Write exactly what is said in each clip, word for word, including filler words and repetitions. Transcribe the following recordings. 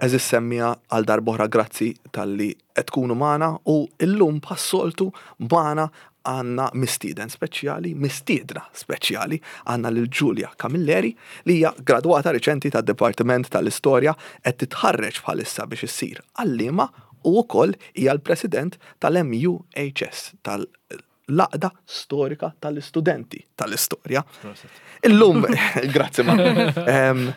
Għeżież semmiegħa, għal darb'oħra grazzi talli qed tkunu magħna u illum bħas-soltu magħna għandna mistieden speċjali, mistiedna speċjali, għandna lil Giulia Camilleri, li hija gradwata riċenti tad-Dipartiment tal-Istorja, qed titħarreġ bħalissa biex issir għallima u wkoll hija l-President tal-M U H S, tal-Għaqda Storika tal-Istudenti tal-Istorja. Illum, grazzi ma. Em,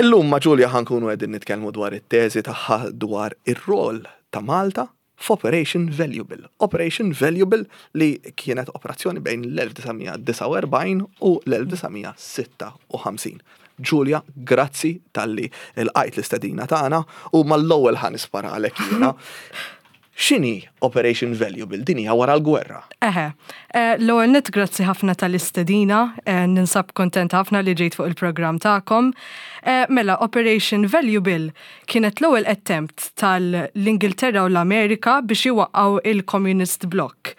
Illum ma' Giulia ħa nkunu qegħdin nitkellmu dwar it-teżi tagħha dwar ir-rol ta' Malta f'Operation Valuable. Operation Valuable li kienet operazzjoni bejn l-elf disa' mija disgħa u erbgħin u l-elf disa' mija sitta u ħamsin. Giulia, grazzi talli lqajt l-istedina tagħna u mal-ewwel ħa nispara għalek jiena. X'inhi Operation Valuable? Din hija wara l-gwerra. Eħe, eh, l-ewwel nett grazzi ħafna tal-istedina, eh, ninsab kontent ħafna li ġejt fuq il-programm tagħkom. Eh, Mela, Operation Valuable kienet l-ewwel attempt tal-Ingilterra u l-Amerika biex iwaqqgħu il-Communist Bloc.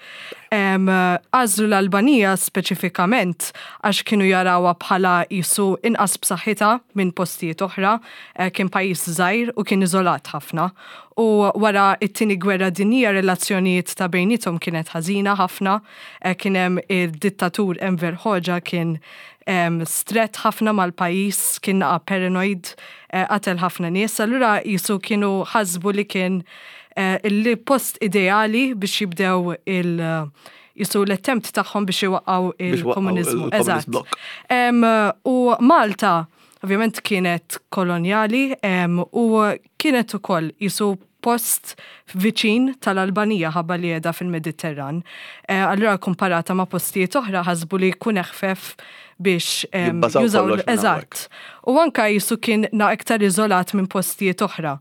Em, Għażlu l-Albanija speċifikament għax kienu jarawha bħala jisu inqas b'saħħitha minn postijiet oħra, eh, kien pajjiż żgħir u kien iżolat ħafna. U wara it-tieni gwerra dinjija relazzjonijiet ta' bejnietom kienet ħażina ħafna, eh, kien hemm il-dittatur Enver Hoxha, kien em, strett ħafna mal-pajjiż, kien naqa paranoid, eh, qatel ħafna nies, allura jisu kienu ħasbu li kien eh, il-post ideali biex jibdew il- jisu l-attempt tagħhom biex iwaqqgħu Biex iwaqqgħu il-komunizmu. il-Communist Eżatt. Bloc. Em, u Malta, ovvjament, kienet kolonjali em, u kienet ukoll jisu post viċin tal-Albanija ħabba li qiegħda fil-Mediterran. Eh, allura komparata ma' postijiet oħra ħasbu li jkun eħfef biex em, jibbażaw jużaw kollox minn Eżatt. U anka jisu kien na iktar iżolat minn postijiet oħra.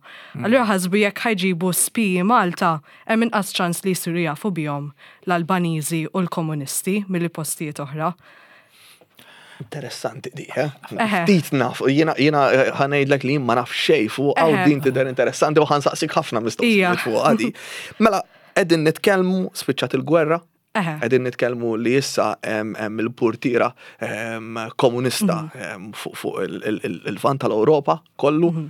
Allura ħasbu jekk ħa jġibu spiji Malta, hemm inqas ċans li jsiru jafu bihom l-Albaniżi u l-komunisti milli postijiet oħra. Interessanti di, eh? Eħe. Ftit naf, jiena jiena eh, ħa ngħidlek li ma naf xejn fuq għaw Eħe. din tidher interessanti u ħa nsaqsik ħafna mistoqsijiet Ija. fuq għadi. Mela, qegħdin nitkellmu spiċċat il-gwerra, Eħe. qegħdin nitkellmu li issa hemm hemm il-purtira em, komunista Mhm. em, fuq fuq il- il- il- il-Lvant tal-Ewropa kollu. Mhm.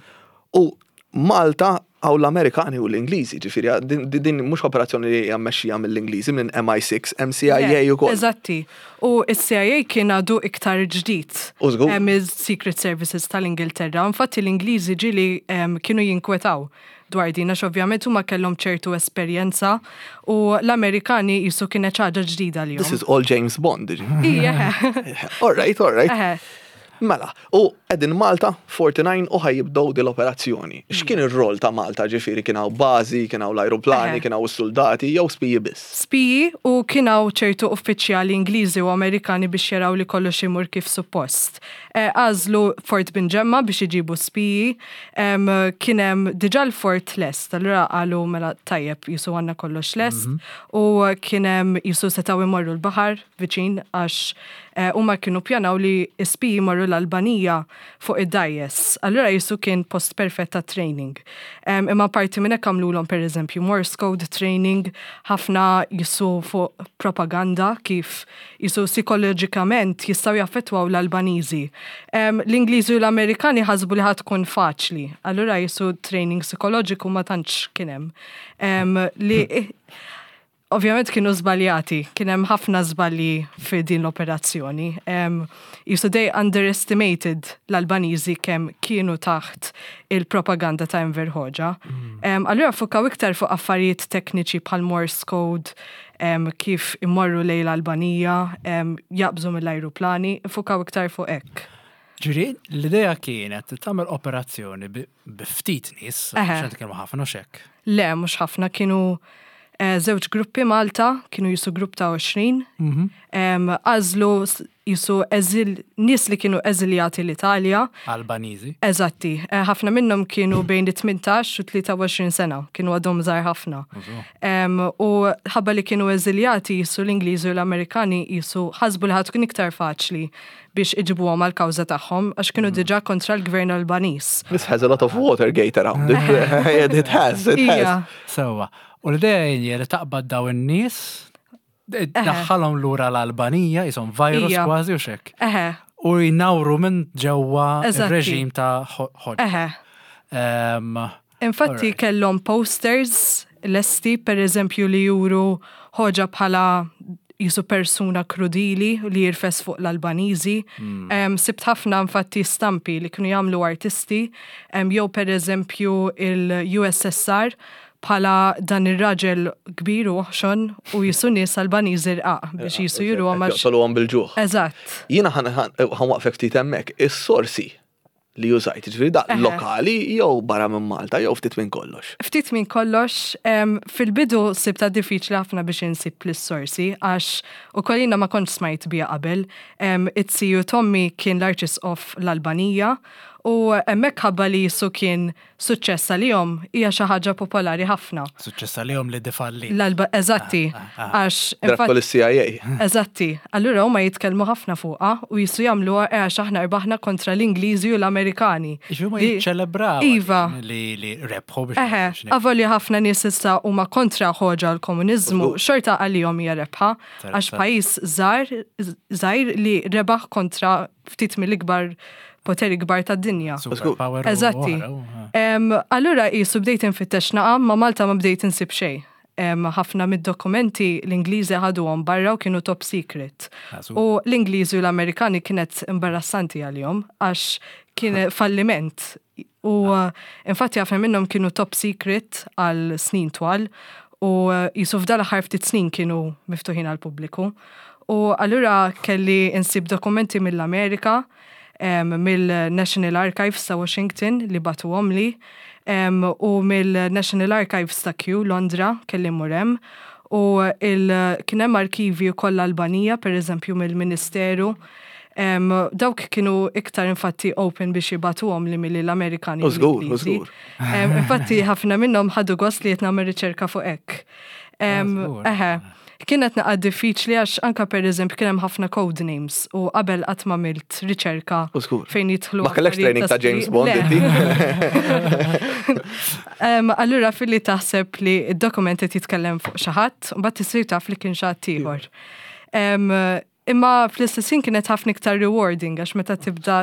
U Malta għaw l-Amerikani u l-Ingliżi, ġifieri, din, din- din mhux operazzjoni li hija mmexxija mill-Ingliżi, minn M I six, M C I A u koll. Eżatti. U il-C I A kien għadu iktar ġdid. U żgur. Em, il-Secret Services tal-Ingilterra. Infatti l-Ingliżi ġieli em, kienu jinkwetaw dwar din, għax ovvjament huma kellhom ċertu esperjenza u l-Amerikani jisu kienet ħaġa ġdida li This is all James Bond, ġifieri. Ija. All right, all right. Eħe. Mela, u qegħdin Malta, erbgħa u disgħin, u ħa jibdew din l-operazzjoni. X'kien ir-rol ta' Malta, ġifieri kien hawn bażi, kien hawn l-ajruplani, Eħe. kien hawn is-soldati, jew spiji biss? Spiji u kien hawn ċertu uffiċjali Ingliżi u Amerikani biex jaraw li kollox imur kif suppost. Eh, Għażlu Fort Binġemma biex iġibu spiji, em, kien hemm diġà l-fort lest, allura qalu mela tajjeb, jisu għandna kollox lest u kien hemm jisu setgħu imorru l-baħar viċin għax eh, huma kienu pjanaw li spiji imorru l-Albanija fuq id-dgħajjes. Allura jisu kien post perfett ta' training. Em, Imma parti minn hekk għamlulhom pereżempju Morse code training, ħafna jisu fuq propaganda, kif jisu psikoloġikament jistgħu jaffettwaw l-Albaniżi. Em, L-Ingliżi u l-Amerikani ħasbu li ħa tkun faċli. Allura jisu training psikoloġiku ma tantx kien hemm. Em, Li ovvjament kienu żbaljati, kien hemm ħafna żbalji fi din l-operazzjoni. Um, Jisu they underestimated l-Albaniżi, kemm kienu taħt il-propaganda ta' Enver Hoxha. Um, allura fukaw iktar fuq affarijiet tekniċi bħal Morse code, um, kif immorru lejn l-Albanija, um, jaqbżu mill-ajruplani, fukaw iktar fuq hekk. Ġifieri, l-idea kienet tagħmel operazzjoni bi bi ftit nies, Eħe. x'għand kienu ħafna xek. Le, mhux ħafna, kienu eh, żewġ gruppi Malta, kienu jisu grupp ta' għoxrin. Em, Għażlu s- jisu eżil, nies li kienu eżiljati l-Italja. Albaniżi. Eżatti, eh, ħafna minnhom kienu bejn it-tmintax u tlieta u għoxrin sena, kienu għadhom żgħar ħafna. Em, U ħabba li kienu eżiljati, jisu l-Ingliżi u l-Amerikani jisu ħasbu li ħa tkun iktar faċli biex iġibuhom għal-kawża tagħhom għax kienu diġà kontra l-gvern Albaniż. This has a lot of Watergate around it. It has, it has. Ija, Sewwa. U l-idea hija li taqbad daw in-nies, daħħalhom lura l-Albanija, jisom virus Ija. kważi u xek. Eħe, U jnawru minn ġewwa Eżatti. ir-reġim ta' Hoxha. eħe. Um, Infatti Alright. kellhom posters lesti, per eżempju, li juru ħoġa bħala jisu persuna krudili li jirfes fuq l-Albaniżi. Mm. Um, sibt ħafna infatti stampi li kienu jagħmlu artisti, um, jew per eżempju il-U S S R bħala dan ir-raġel kbir u oħxon u jisu nies Albaniżi rqaq biex jisu juru għamax. Joqtoluhom bil-ġuħ. Eżatt. Jiena ħa nwaqqfek ftit hemmhekk, is-sorsi li użajt, ġifieri da Eħe. lokali jew barra minn Malta jew ftit minn kollox? Ftit minn kollox, em, fil-bidu sibta diffiċli ħafna biex insib l-sorsi, għax u kollina ma kontx smajt bija qabel. Em, It-siju t'ommi kien l-Arċisqof l-Albanija u hemmhekk ħabba li jisu kien suċċess għalihom, hija xi ħaġa popolari ħafna. Suċċess għalihom li defalli. L-Alba, eżatti, għax Drakol il-C I A. Eżatti, allura huma jitkellmu ħafna fuqha u jisu jagħmluha eh, għax aħna rbaħna kontra l-Ingliżi u l-Amerikani. Iġu ma Li- jiċċelebraw. Iva. Li li rebħu biex. Eħe, biex avolja ħafna nies issa huma kontra ħoġa l-komuniżmu, xorta għalihom hija rebħa, għax pajjiż żgħar żgħir li rebaħ kontra ftit mill-ikbar poteri kbar tad-dinja. Superpower u Eżatti. oħra, u- Em, Allura jisu bdejt infittex naqa, ma Malta ma bdejt insib xejn. Em, ħafna mid-dokumenti l-Ingliżi ħaduhom barra u kienu top secret. Ah, su- U l-Ingliżi u l-Amerikani kienet imbarrassanti għalihom għax kien falliment. U uh, infatti ħafna minnhom kienu top secret għal snin twal u uh, jisu f'dal aħħar ftit snin kienu miftuħin għal pubbliku. U allura kelli insib dokumenti mill-Amerika, em, mill-National Archives ta' Washington li bagħtuhom li, em, u mill-National Archives ta' Kew, Londra, kelli mmur hemm. U il, kien hemm arkivi wkoll Albanija, per eżempju mill-Ministeru. Em, dawk kienu iktar infatti open biex jibagħtuhom li milli l-Amerikani. U żgur, u l-Ingliżi. żgur. Em, Infatti ħafna minnhom ħadu gost li qed nagħmel riċerka fuq hekk. Em, żgur. Eħe, kienet naqa diffiċli għax anka per eżempju kien hemm ħafna code names u qabel qatt ma għamilt riċerka U żgur. fejn jidħlu. Ma kellekx affarijiet training ta' James spiri- Bond, Le. inti? Em, Allura filli taħseb li id-dokument qed jitkellem fuq xi ħadd, u mbagħad tisir taf li kien xi ħadd ieħor. Em, Imma fl-istess ħin kienet ħafna iktar rewarding għax meta tibda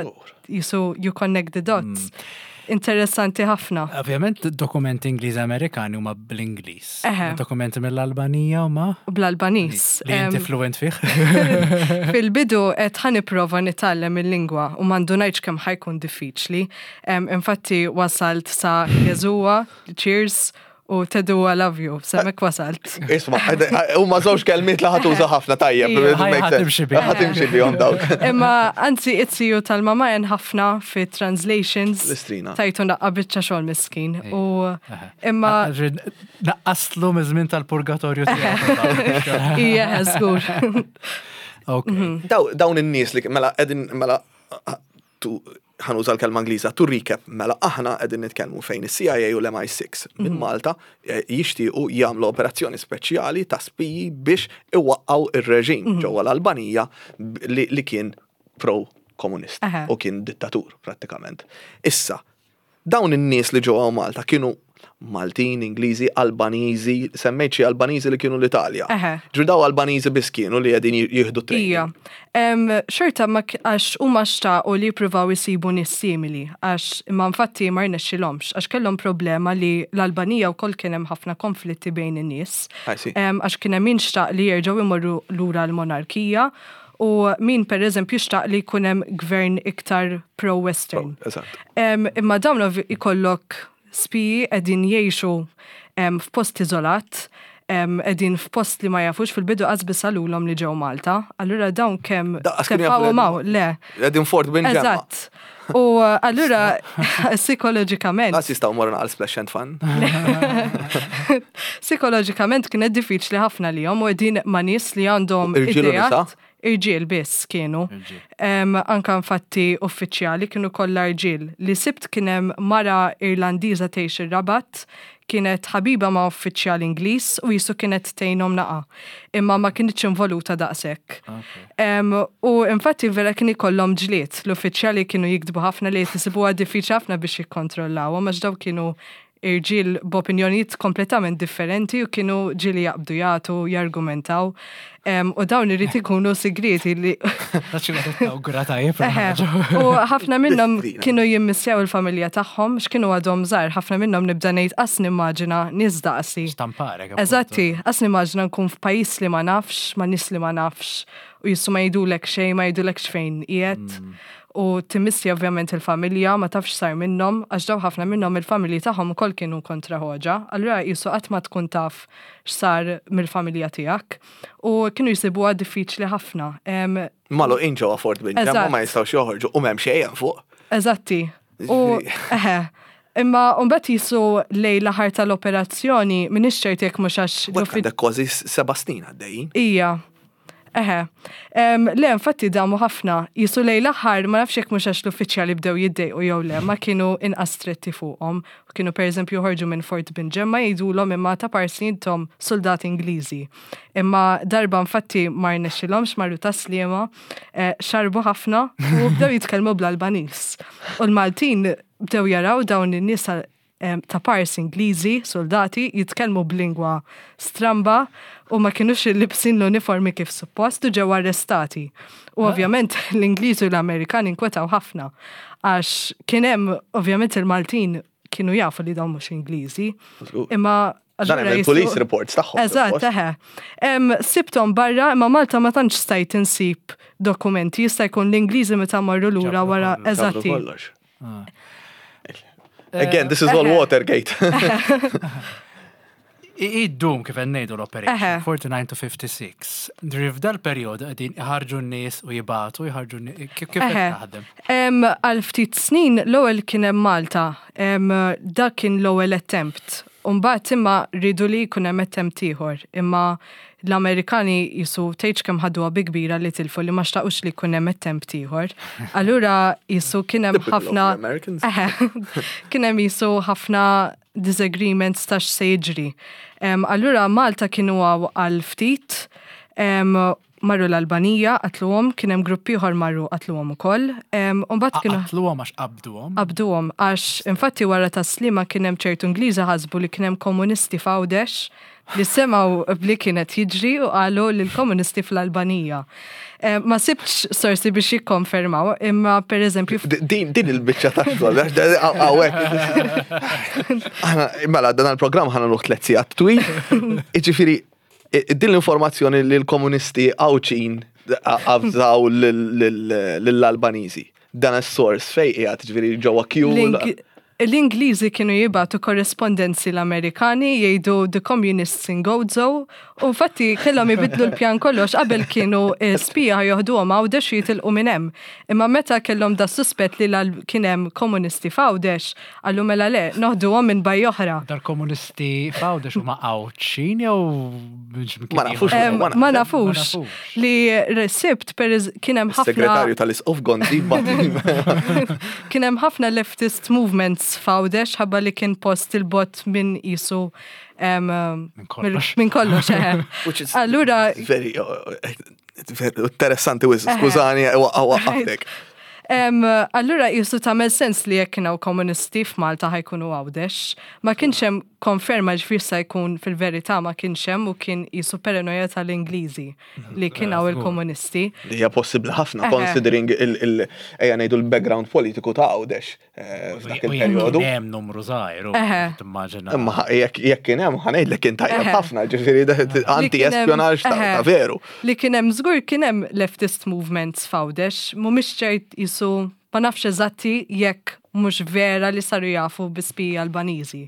jisu you connect the dots. Interessanti ħafna. Ovvjament dokumenti Ingliż Amerikani huma bl-Ingliż. Eħe. Dokumenti mill-Albanija huma Bl-Albaniż. li Em, inti fluent fih. Fil-bidu qed ħa nipprova nitgħallem il-lingwa u ma ndunajtx kemm ħa jkun diffiċli. Em, Infatti wasalt sa Jeżuwa, cheers, u Tedua love you, s'hemmhekk wasalt. Isma, huma żewġ kelmiet li ħa tuża ħafna tajjeb. Ija. Ħaj- ħa timxi bihom. Ħa timxi bihom dawk. Imma anzi it-siju tal-mama jen ħafna fi translations. L-istrina. Tajtu naqqa biċċa xogħol miskin. U imma Naqqaslu miż-żmien tal-purgatorju tiegħu. Ija, żgur. Ok. Daw- Dawn in-nies li mela qegħdin mela tu ħa nuża l-kelma Ingliża, to recap, mela aħna qegħdin nitkellmu fejn is-C I A u l-M I six minn Malta eh, jixtiequ jagħmlu operazzjoni speċjali ta' spiji biex iwaqqaw ir-reġim ġewwa l-Albanija b- li, li kien pro-komunist Aha. u kien dittatur prattikament. Issa, dawn in-nies li ġewwa Malta kienu Maltin, Ingliżi, Albaniżi, semmejt xi Albaniżi li kienu l-Italja. Eħe. Ġu daw Albaniżi biss kienu li qegħdin jieħdu training? Ija. Em, Xorta ma k- għax huma xtaqu li jippruvaw isibu nies simili, għax imma infatti ma rnexxilhomx, għax kellhom problema li l-Albanija wkoll kien hemm ħafna konflitti bejn in-nies. I see. Em, Għax kien hemm min xtaq li jerġgħu imorru lura l-monarkija u min per eżempju xtaq li jkun hemm gvern iktar pro-Western. Eżatt. Em, Imma dawn ov- ikollok spiji qegħdin jgħixu em, f'post iżolat, em, qegħdin f'post li ma jafux, fil-bidu qas qalulhom li ġew Malta. Allura dawn kemm Daqqas kienu jafu li tefgħuhom hawn, le. Qegħdin Fort Binġemma. Eżatt. U uh, allura psikoloġikament, Nas jistgħu morru għal splash and fun. psikoloġikament kienet diffiċli ħafna li u qegħdin ma' nies li għandhom Irġiel u nisa? ideat. Irġiel biss kienu. Em, anka infatti uffiċjali kienu kollha irġiel. Li sibt kien hemm mara Irlandiża tgħix ir-Rabat, kienet ħabiba ma' uffiċjal Ingliż u jisu kienet tgħinhom naqa. Imma ma kienitx involuta daqshekk. Em, u infatti vera kien ikollhom ġlied. L-uffiċjali kienu jiktbu ħafna li jisibuha diffiċli ħafna biex jikkontrollawhom għax daw kienu irġiel b'opinjonijiet kompletament differenti u kienu ġieli jaqbdu jagħtu, jargumentaw. Em, u dawn irid ikunu segreti li Tawgura tajjeb. Eħe, u ħafna minnhom Distrina. kienu jimmissjaw il-familja tagħhom, x'kienu għadhom żgħar, ħafna minnhom nibda ngħid qas nimmaġina nies daqsi. Stamparek. Eżatti, qas nimmaġina nkun f'pajjiż li ma nafx, ma' nies li ma nafx, u jissu ma jgħidulek xejn, ma jgħidulek x'fejn qiegħed. U timmissja ovvjament il-familja, ma tafx sar minnhom, għax daw ħafna minnhom il-familji tagħhom ukoll kienu kontra Hoxha. Allura jisu qatt ma tkun taf x'sar mill-familja tiegħek. U kienu jsibuha diffiċli ħafna. Em, Magħluqin ġewwa Fort Binġemma Eżatt. ma jistgħux joħorġu u m'hemm xejn fuq. Eżatti. U eħe, imma mbagħad jisu lejn l-aħħar tal-operazzjoni m'iniex ċert jekk mhux għax Wek l-uffi- għandek kważi seba' snin għaddejjin. Ija. Eħe. Em, Le, infatti damu ħafna. Jisu lejn l-aħħar, ma nafx jekk mhux għax l-uffiċjali bdew jiddejqu jew le, ma kienu inqas stretti fuqhom. Kienu pereżempju joħorġu minn Fort Binġemma jgħidulhom imma ta' parsi intom soldati Ingliżi. Imma darba infatti ma rnexxilhomx marru Tas-Sliema, eh, xarbu ħafna u bdew jitkellmu bl-Albaniż. U l-Maltin bdew jaraw dawn in-nies em, ta' pars Ingliżi, soldati, jitkellmu b'lingwa stramba u ma kienux libsin l-uniformi kif suppost u ġew arrestati. U ovvjament l-Ingliżi u l-Amerikani inkwetaw ħafna għax kien hemm ovvjament il-Maltin kienu jafu li dawn mhux Ingliżi. Imma Dan hemm il-police reports tagħhom. Eżatt, suppost. eħe. Em, Sibtom barra, imma Malta ma tantx stajt insib dokumenti, jista' jkun l-Ingliżi meta marru lura Ġabru wara, kollox. Ġabru eżatti. kollox. Again, this is all Eħe. Watergate. Iddum kif ngħidu l-operation, Eħe. forty-nine to fifty-six. Driv dal-perjodu qegħdin iħarġu n-nies u jibatu, jħarġu n-nies. Kif kif qed Eħe. taħdem? Em, Għal ftit snin l-ewwel kien hemm Malta, em, dak kien l-ewwel attempt. Umbagħad imma ridu li jkun hemm attempt ieħor, imma l-Amerikani jisu tgħidx kemm ħaduha bi kbira li tilfu li ma xtaqux li jkun hemm attempt ieħor. Allura jisu kien hemm Typical of ħafna the Americans. Eħe, kien hemm jisu ħafna disagreements ta' x'se jiġri. Em, Allura Malta kienu għaw għal ftit, em, marru l-Albanija, qatluhom, kien hemm grupp ieħor marru qatluhom ukoll. Em, U mbagħad kienu Qatluhom għax qabduhom. qabduhom għax infatti wara Tas-Sliema kien hemm ċertu Ingliżi ħasbu li kien hemm komunisti f'Għawdex li semgħu bli kienet jiġri u qalu li l-komunisti fl-Albanija. Eh, Ma sibtx sorsi biex jikkonfermaw, imma per eżempju D- Din din il-biċċa ta' xogħol, għax da- hawnhekk. Aħna mela dan il-programm ħa nagħmluh tliet sigħat twil. Jiġifieri i- din l-informazzjoni li l-komunisti Għawdxin avżaw lill-Albaniżi. Dan is-source fej qiegħed ġifieri ġewwa Q. L-Ing- L-Ingliżi kienu jibatu korrespondenzi l-Amerikani jgħidu "The Communists in Gozo" u infatti kellhom ibidlu l-pjan kollox. Qabel kienu eh, spija joħduhom Għawdex u jitilqu minn hemm. Imma meta kellhom da suspett li l- kien hemm komunisti f'Għawdex, qallu mela le, noħduhom minn bajja oħra. Dar-komunisti f'Għawdex huma Għawdxin jew Ma nafux. Em, Ma Ma nafux. nafux. Li sibt per kien hemm ħafna Segretarju tal-Isqof Gonzi bat. Kien hemm ħafna leftist movements f'Għawdex ħabba li kien post il-bot minn jisu em, Minn kollox. Minn kollox, eħe. Which is Allura very, uh, very interessanti wisq, skużani, waqqaftek. Em, allura jisu tagħmel sens li jekk kienu komunisti f'Malta ħa jkunu Għawdex. Ma kienx hemm konferma ġifier sa jkun fil-verità ma kienx hemm u kien jisu paranoja tal-Ingliżi li kien hawn il-komunisti. Li hija possibbli ħafna Eħe. considering il- il- ejja ngħidu l-background politiku ta' Għawdex eh, f'dak il-perjodu. Hemm numru żgħir, u Eħe. timmaġina. Imma jekk jekk kien hemm ħa ngħidlek kien tajjeb Eħe. ħafna, ġifieri anti-espionaġġ ta' Eħe. ta' veru. Li kien hemm żgur kien hemm leftist movements f'Għawdex, mhumiex ċert jisu ma nafx eżatti jekk mhux vera li saru jafu bi spiji Albaniżi.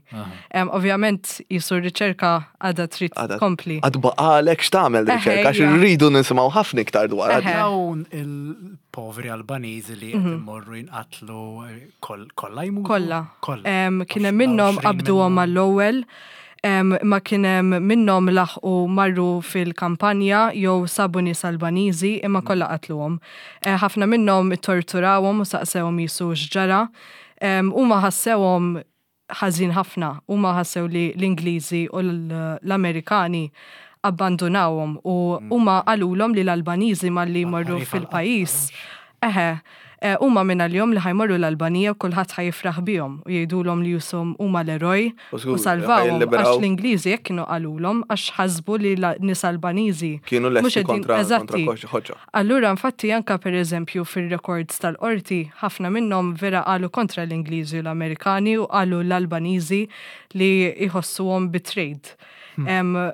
Em, Ovvjament jisu r-riċerka għadha trid Għadha- tkompli. Għad baqalek x'tagħmel Eħe, riċerka, għax ija. irridu nisimgħu ħafna iktar dwar. Eħe. Dawn il-poveri Albaniżi li qed imorru jinqatlu koll- kollha jmutu? Kollha. Kollha. Em, Kien hemm minnhom Għoxrin qabduhom minnhom. mal-ewwel, em, ma kien hemm minnhom laħqu marru fil-kampanja jew sabu nies Albaniżi imma kollha qatluhom. Eh, Ħafna minnhom torturawhom u saqsewhom jisu x'ġara. Em, Huma ħassewhom ħażin ħafna. Huma ħassew li l-Ingliżi u l- l-Amerikani abbandonawhom u huma qalulhom li l-Albaniżi malli morru Ħarifa fil-pajjiż. Eħe, Eh, Huma minn għalihom li ħa jmorru l-Albanija u kulħadd ħa jifraħ bihom u jgħidulhom li jisom huma l-eroj U żgur, u salvawhom ħa jilliberaw. għax l-Ingliżi jekk kienu qalulhom għax ħasbu li la- nies Albaniżi Kienu mhux lesti qegħdin- kontra kontra eżatti. Hoxha. Allura, infatti, anka per eżempju fil-records tal-qorti, ħafna minnhom vera qalu kontra l-Ingliżi u l-Amerikani u qalu l-Albaniżi li jħossuhom betrayed. Em,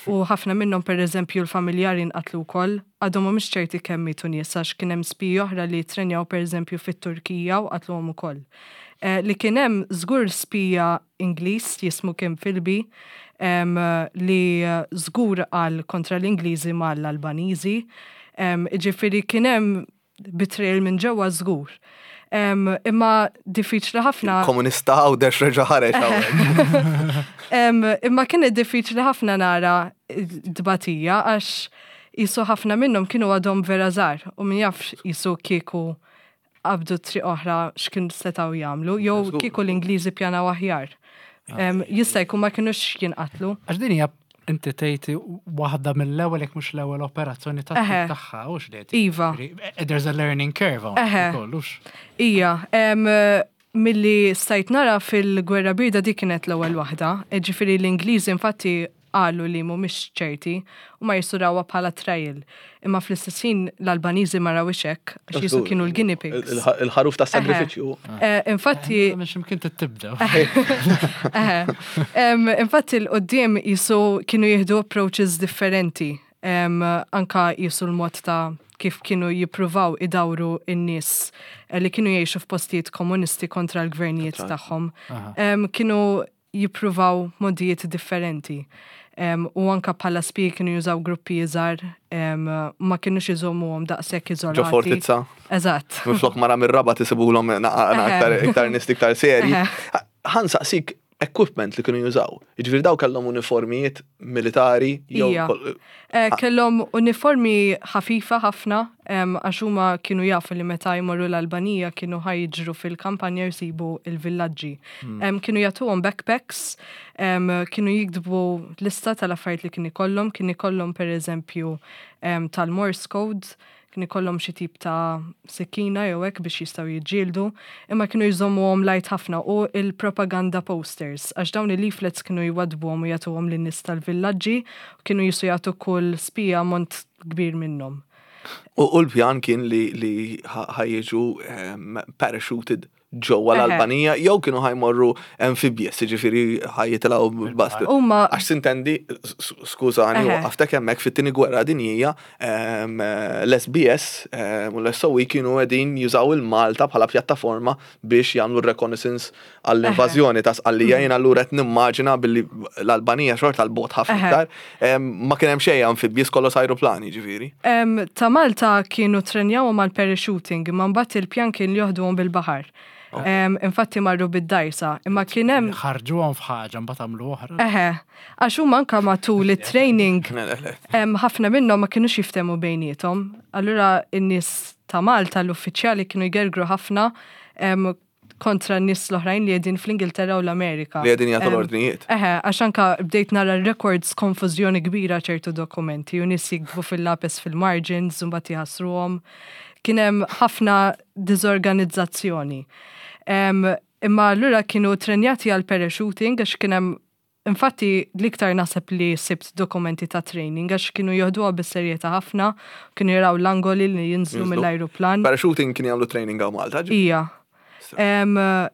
U ħafna minnhom per eżempju l-familjari nqatlu wkoll, għadhom mhumiex ċerti kemm mietu nies għax kien hemm spiji oħra li trenjaw per eżempju fit-Turkija u qatluhom ukoll. Eh, li kien hemm żgur spija Ingliż jismu Kim Philby em, li eh, żgur qal kontra l-Ingliżi mal-Albaniżi. Em, Ġifieri kien hemm betrayal minn ġewwa żgur. Em, Imma diffiċli ħafna. Komunista Għawdex reġa' ħareġ hawnhekk. Em, imma kienet diffiċli ħafna nara dbatija għax jisu ħafna minnhom kienu għadhom vera żgħar u min jaf jisu kieku qabdu triq oħra x'kien setgħu jagħmlu jew Żgur. kieku l-Ingliżi pjanaw aħjar. Em, Jista' jkun ma kinux jinqatlu. Għax din hija inti tgħid waħda mill-ewwel jekk mhux l-ewwel operazzjoni ta' Eħe. tagħha u x'liet. Iva. There's a learning curve Eħe. hawnhekk ukoll, hux. Ija, em, milli stajt nara fil-gwerra birda dik kienet l-ewwel waħda. Ġifieri l-Ingliżi infatti qalu li mhumiex ċerti u ma jisurawha bħala trial. Imma fl-istess ħin l-Albaniżi ma rawhiex hekk għax jisu kienu l-guinea pigs. Il-ħaruf ta' sagrifiċju. Eh, Infatti, Minn x'imkien tibda. Eħe. Em, Infatti l-qoddim jisu kienu jieħdu approaches differenti. Em, Anka jisu l-mod ta' kif kienu jippruvaw idawru in-nies eh, li kienu jgħixu f'postijiet komunisti kontra l-gvernijiet tagħhom. Em, Kienu jippruvaw modijiet differenti. Em, u anka bħala spiji kienu jużaw gruppi iżgħar, em, ma kienux iżommuhom daqshekk iżolati. Ġo fortizza. Eżatt. Minflok mara mir-Rabat isibulhom aktar iktar nies iktar seri. Eħe. Ħa nsaqsik equipment li kienu jużaw. Jiġifieri daw kellhom uniformijiet militari jew Ija. kol- Eh, Kellhom uniformi ħafifa ħafna, em, għax huma kienu jafu li meta jmorru l-Albanija kienu ħa jiġru fil-kampanja jsibu il-villaġġi. Em, Kienu jagħtuhom backpacks, em, kienu jiktbu lista tal-affarijiet li kien ikollhom, kien ikollhom per eżempju em, tal-Morse code, kien ikollhom xi tip ta' sikkina jew hekk biex jistgħu jiġġieldu, imma kienu jżommuhom light ħafna u il-propaganda posters għax dawn il-leaflets kienu jwadbuhom u jagħtuhom lin-nies tal-villaġġi u kienu jisu jagħtu kull spija ammont kbir minnhom. U u l-pjan kien li li ħa jiġu em, parachuted ġewwa Eħe. l-Albanija jew kienu ħa jmorru amphibious, jiġifieri ħa jitilgħu bast. Huma Għax sintendi, s- skużani, Eħe. waqaftek hemmhekk fit-tieni gwerra dinjija, em, l-S B S em, u l-S O E kienu qegħdin jużaw il-Malta bħala pjattaforma biex jagħmlu reconnaissance għall-invażjoni ta' Sqallija. Jien allura qed nimmaġina billi l-Albanija xorta 'l bogħod ħafna Eħe. iktar, em, ma kien hemm xejn amphibious, kollox ajruplani ġifieri. Em, ta' Malta kienu trenjawhom għal parachuting, imma mbagħad il-pjan kien li joħduhom bil-baħar. Em, Infatti marru bid-dajsa, imma kien hemm Ħarġuhom f'ħaġa mbagħad għamlu oħra. Eħe, għax huma anka matul it-training Le, le, le. em, ħafna minnhom ma kienux jiftemu bejniethom. Allura in-nies ta' Malta, l-uffiċjali kienu jgergru ħafna em, kontra n-nies l-oħrajn li qegħdin fl-Ingilterra u l-Amerika. Li qegħdin jagħtu Em, l-ordnijiet. Eħe, għax anka bdejt nara records konfużjoni kbira ċertu dokumenti u nies jiktbu fil-lapes fil-margins, u mbagħad jħassruhom. Kien hemm ħafna diżorganizzazzjoni. Em, Imma allura kienu trenjati għal parachuting għax kien hemm. Infatti, l-iktar naħseb li sibt dokumenti ta' training għax kienu joħduha bis-serjetà ħafna, kienu jaraw l-angoli li jinżlu Jinżlu. mill-ajruplan. Parachuting kien jagħmlu training hawn Malta, ġi? Ija. Em,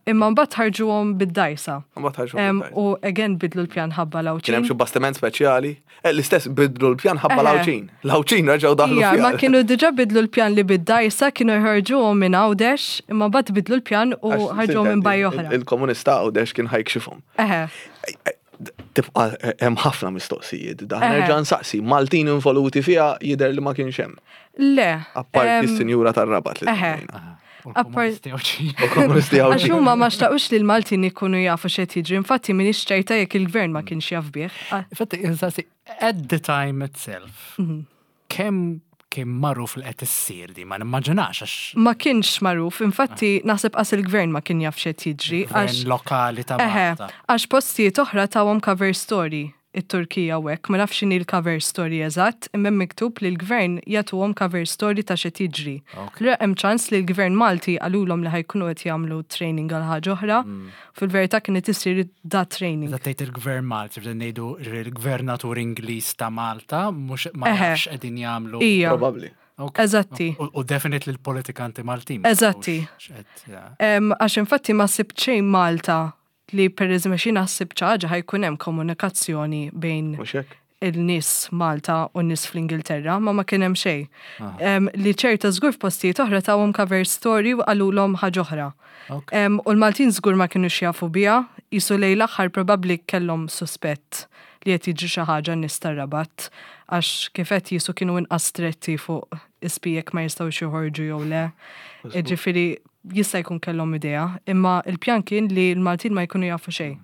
Imma mbagħad ħarġuhom bid-dajsa. Mbagħad ħarġu Em, bid-dajsa. U again bidlu l-pjan ħabba Kien hemm l xi bastiment speċjali. Eh, L-istess bidlu l-pjan ħabba Eħe. l-Għawdxin. L-Għawdxin reġgħu daħlu Ija, ma fiha. kienu diġa bidlu l-pjan li bid-dajsa kienu jħarġuhom minn Għawdex, imma mbagħad bidlu l-pjan u Għax ħarġuhom minn sintendi, baj oħra. il- Il-komunista Għawdex kien ħa jikxifhom. Eħe, Tibqa eh, hemm ħafna mistoqsijiet. Dan Eħe. nerġa' nsaqsi, Maltin involuti fiha jidher li ma kienx hemm. Le. Apparti em, s-sinjura tar-Rabat li eħe. semmejna. U l-komunisti Għawdxin. U komunisti Għax Għawdxin. huma ma xtaqux li l-Maltin ikunu jafu x'qed jiġri. Infatti m'iniex ċerta jekk il-gvern ma kienx jaf bih. Ah, Infatti, insaqsi, at the time itself, Mhm. kemm kien magħruf li qed issir di, ma nimmaġinax għax Ma kienx magħruf, infatti naħseb qas il-gvern ma kien jaf x'qed jiġri. gvern Għax lokali ta' Eħe, Malta. għax postijiet oħra tawhom cover story. It-Turkija u hekk, ma nafx x'inhi l-cover story eżatt, imma hemm miktub li l-gvern jagħtuhom cover story ta' x'qed jiġri. Allura hemm ċans li l-gvern Malti qalulhom li ħa jkunu qed jagħmlu training għal ħaġa oħra, fil-verità kienet isir da training. Meta tgħid il-gvern Malti, bden ngħidu il-gvernatur Ingliż ta' Malta, mhux ma Eħe. nafx qegħdin jagħmlu. Ija, Probabbli. Ok. eżatti. U u definitely l-politikanti Maltin. ma Eżatti. jafux x'qed, ja. Em, Għax infatti ma sibt xejn Malta li per eżempju xi naħseb ħaġa ħa jkun hemm komunikazzjoni bejn Mhux hekk? il-nies Malta u n-nies fl-Ingilterra, ma ma kien hemm xejn. Em, Li ċerta żgur f'postijiet oħra tawhom cover story u qalulhom ħaġa oħra. Ok. Em, U l-Maltin żgur ma kienu jafu biha, jisu lejn l-aħħar probabbli kellhom suspett li qed jiġri xi ħaġa n-nies tar-Rabat għax kif qed jisu kienu inqas stretti fuq ispijek ma jistgħux joħorġu jew le. Ġifieri jista' jkun kellhom idea, imma il-pjan kien li l-Maltin ma jkunu jafu xejn.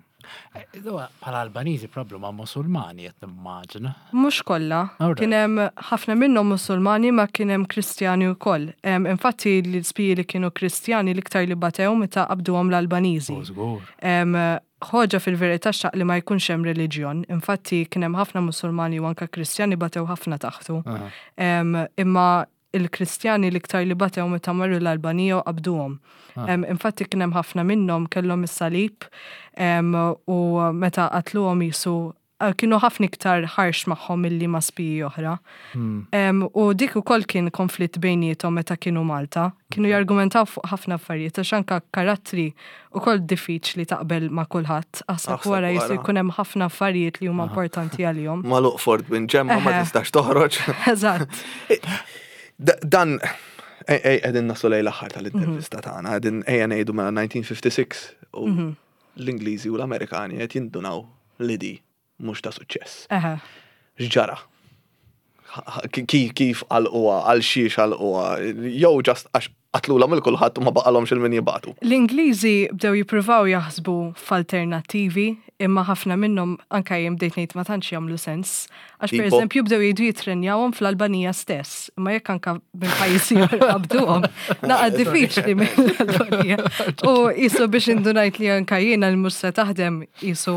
Eh, Bħala Albaniżi probably ma' Musulmani qed nimmaġina. Mhux kollha. Alright. Kien hemm ħafna minnhom Musulmani ma kien hemm Kristjani wkoll. Em, Infatti l-spiji li kienu Kristjani l-iktar li batew meta qabduhom l-Albaniżi. U żgur. Em, Ħoġa fil-verità xtaq li ma jkunx hemm reliġjon. Infatti kien hemm ħafna Musulmani u anka Kristjani batew ħafna taħtu. Em, Imma il-Kristjani l-iktar li batew meta marru l-Albanija u qabduhom. Em, Infatti kien hemm ħafna minnhom kellhom is-salib em, u meta qatluhom jisu eh, kienu ħafna iktar harsh magħhom milli ma' spiji oħra. Em, U dik ukoll kien konflitt bejniethom meta kienu Malta. Kienu jargumentaw fuq ħafna affarijiet għax anka karattri ukoll diffiċli taqbel ma' kulħadd. Aħseb Aħseb wara jisu wara. jkun hemm ħafna affarijiet li huma importanti għalihom. Magħluq Fort Binġemma ma Eħe. tistax toħroġ. Eżatt. Da- Dan, ej, ej, qegħdin naslu lejn l-aħħar tal-intervista tagħna, qegħdin ejja ngħidu mela elf disa' mija u ħamsa u sittin u l-Ingliżi u l-Amerikani qed jindunaw li di mhux ta' suċċess. Eħe. X'ġara? Kif kif għalquha, għal xiex għalquha, jew just għax qatlulhom lil kulħadd u ma baqalhomx lil min jibagħtu. L-Ingliżi bdew jippruvaw jaħsbu f'alternattivi, imma ħafna minnhom anka jien bdejt ngħid ma tantx jagħmlu sens. Għax per Tipo? eżempju bdew jgħidu jitrenjawhom fl-Albanija stess, imma jekk anka minn pajjiżi oħra qabduhom, naqa diffiċli mill-Albanija. U jisu biex indunajt li anka jiena li mhux se taħdem jisu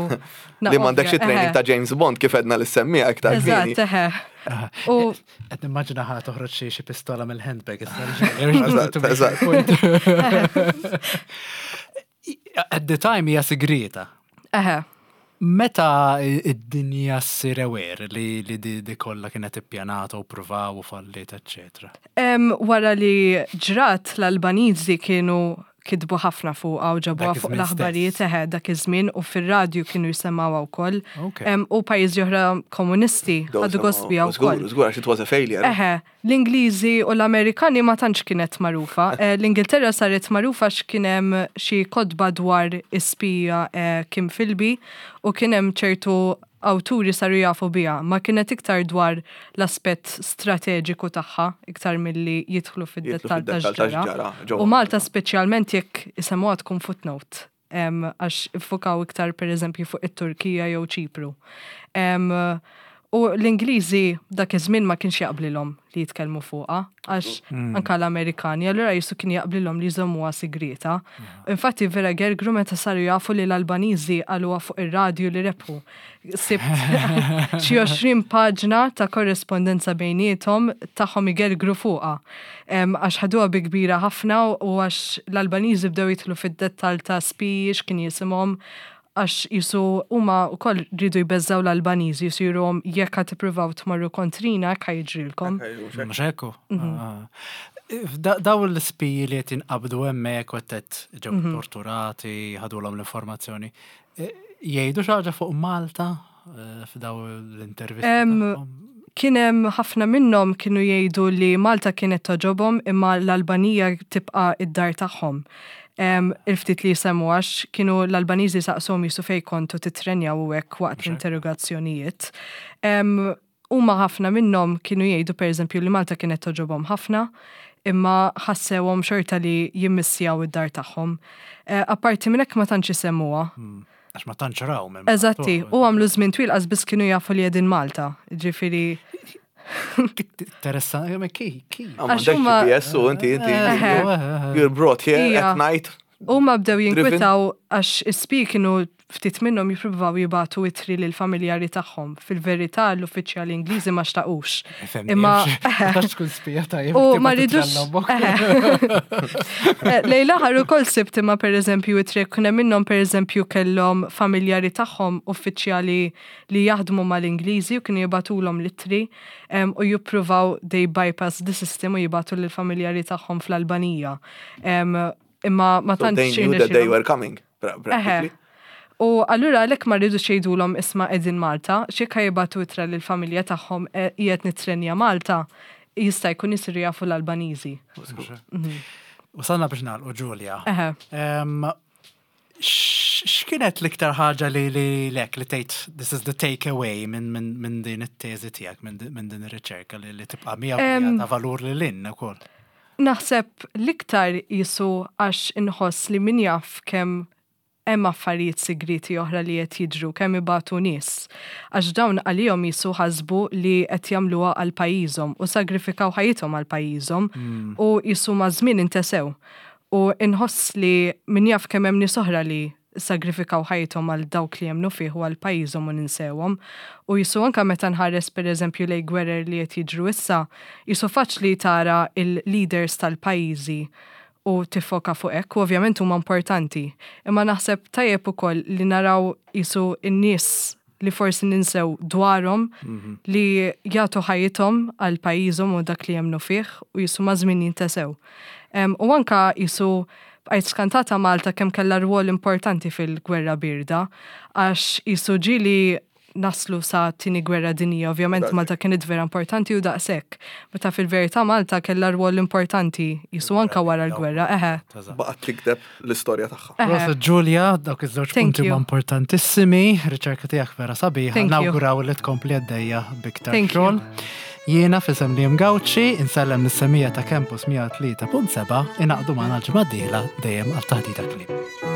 Li m'għandekx training ta' James Bond kif għedna l-semmija iktar kmieni. Eżatt, eħe. U Qed nimmaġina ħa toħroġ xi xi pistola mill-handbag issa. Eżatt, eżatt. At the time hija sigrita. eħe. Meta id-dinja ssir aware li li di, di kollha kienet ippjanata u provaw u fallit, eccetera. Em, wara li ġrat l-Albaniżi kienu kitbu ħafna fuqha u ġabuha Dak fuq iż-żmien l-aħbarijiet stess. eħe dak iż-żmien u fir-radju kienu jisemmawha wkoll. Ok. Em, U pajjiżi oħra komunisti ħadu gost biha Żgur, wkoll. żgur, għax it was a failure. Eħe, l-Ingliżi u l-Amerikani ma tantx kienet magħrufa. Eh, L-Ingilterra saret magħrufa x'kien hemm xi kotba dwar ispija eh, Kim Philby u kien hemm ċertu awturi saru jafu biha, ma kienet iktar dwar l-aspett strateġiku tagħha, iktar milli jidħlu fid-dettall ta' fid-dettall ta' x'ġara. x'ġara, ġewwa. U Malta speċjalment jekk isemmuha tkun footnote, em, għax iffukaw iktar per eżempju fuq it-Turkija jew Ċipru. Em, U l-Ingliżi dak iż-żmien ma kienx jaqblilhom li jitkellmu fuqha, għax anka l-Amerikani, allura jisu kien jaqblilhom li jżommuha sigrita. Infatti vera gergru meta saru jafu li l-Albaniżi qaluha fuq ir-radju li rebħu. Sibt xi għoxrin paġna ta' korrespondenza bejniethom tagħhom igergru fuqha. Em, Għax ħaduha bi kbira ħafna u għax l-Albaniżi bdew jidħlu fid-dettall ta' spiji x'kien jisimhom għax jisu huma wkoll rridu jbeżżaw l-Albaniżi jisiruhom jekk ħa tippruvaw tmorru kontrina hekk ħa jiġrilkom. Mhux hekk? Ah. Da- Daw l-spiji li qed jinqabdu hemmhekk u qed ġew torturati, ħadulhom l-informazzjoni. Eh, Jgħidu xi ħaġa fuq Malta eh, f'daw l-intervisti Em, tagħhom? Kien hemm ħafna minnhom kienu jgħidu li Malta kienet togħġobhom imma l-Albanija tibqa' id-dar tagħhom. Em, Il-ftit li jisemmu għax kienu l-Albaniżi saqshom jisu fej kontu titrenjaw u hekk waqt l-interrogazzjonijiet. Em, Huma ħafna minnhom kienu jgħidu pereżempju li Malta kienet togħġobhom ħafna, imma ħassewhom xorta li jimmissjaw id-dar tagħhom. Eh, Apparti minn hekk ma tantx isemmuha. Għax ma tantx raw minn. Eżatti, u għamlu żmien twil qas biss kienu jafu li qegħdin Malta. Ġifieri Interessanti, ma ki, ki. Għax huma- G P S u inti, inti, Eħe. you're brought here Ija. at night, Huma bdew jinkwetaw għax is-spiji kienu, ftit minnhom, jippruvaw jibagħtu ittri lil familjari tagħhom. Fil-verità l-uffiċjali Ingliżi ma xtaqux. Imma għax tkun spija tajjeb. U ma ridux. Lejn l-aħħar ukoll sibt imma, pereżempju, ittri kien hemm minnhom, pereżempju, kellhom familjari tagħhom uffiċjali li jaħdmu mal-Ingliżi u kienu jibagħtulhom l-ittri u jippruvaw, they bypass the system, u jibagħtu lill-familjari tagħhom fl-Albanija. Imma ma tantx. They knew that they were coming, practically. U allura għalhekk ma ridux jgħidulhom, "Isma', qegħdin Malta," xi jibagħtu ittra lill-familja tagħhom, e, "Qiegħed nitrenja Malta," jista' jkun jisiru jafu l-Albaniżi. Mhm. Wasalna biex nagħlqu, Julia. X'kienet l-iktar ħaġa li li lek li tgħid "This is the take away" minn min, min din it-teżi tiegħek, minn din ir-riċerka li, li tibqa' miegħek, ta' valur li lin ukoll? Naħseb l-iktar jisu għax inħoss li min jaf kemm hemm affarijiet segreti oħra li qed jiġru, kemm ibatu nies. Għax dawn għalihom jisu ħasbu li qed jagħmluha għal pajjiżhom u sagrifikaw ħajjithom għal pajjiżhom mm. u jisu maż-żmien intesew. U inħoss li min jaf kemm hemm nies oħra li sagrifikaw ħajjithom għal dawk li jemmnu fih u għal pajjiżhom u ninsewhom. U jisu anka meta nħares, pereżempju, lejn gwerer li qed jiġru issa, jisu faċli tara il-leaders tal-pajjiżi u tifoka fuq hekk, u ovvjament huma importanti. Imma naħseb tajjeb ukoll li naraw jisu n-nies li forsi ninsew dwarhom mhm. li jagħtu ħajjithom għal pajjiżhom u dak li jemmnu fih u jisu maż-żmien jintesew. U anka jisu bqajt skantata Malta kemm kellha rwol importanti fil-gwerra birda, għax jisu ġieli naslu sa Tieni Gwerra Dinjija, ovvjament Malta kienet vera importanti u daqshekk. Meta fil-verità Malta kellha rwol importanti jisu anka wara l-gwerra, eħe. Baqgħet tikteb l-istorja tagħha. Prosit, Julia, dawk iż-żewġ punti huma importantissimi, riċerka tiegħek vera sabiħa, nawguraw li tkompli għaddejja b'iktar xogħol. Jiena f'isem li Gawċi, insellem lis-semmiegħa ta' Campus mija u tlieta punt seba', ingħaqdu magħna l-ġimgħa d-dieħla dejjem għal Taħdita Klieb.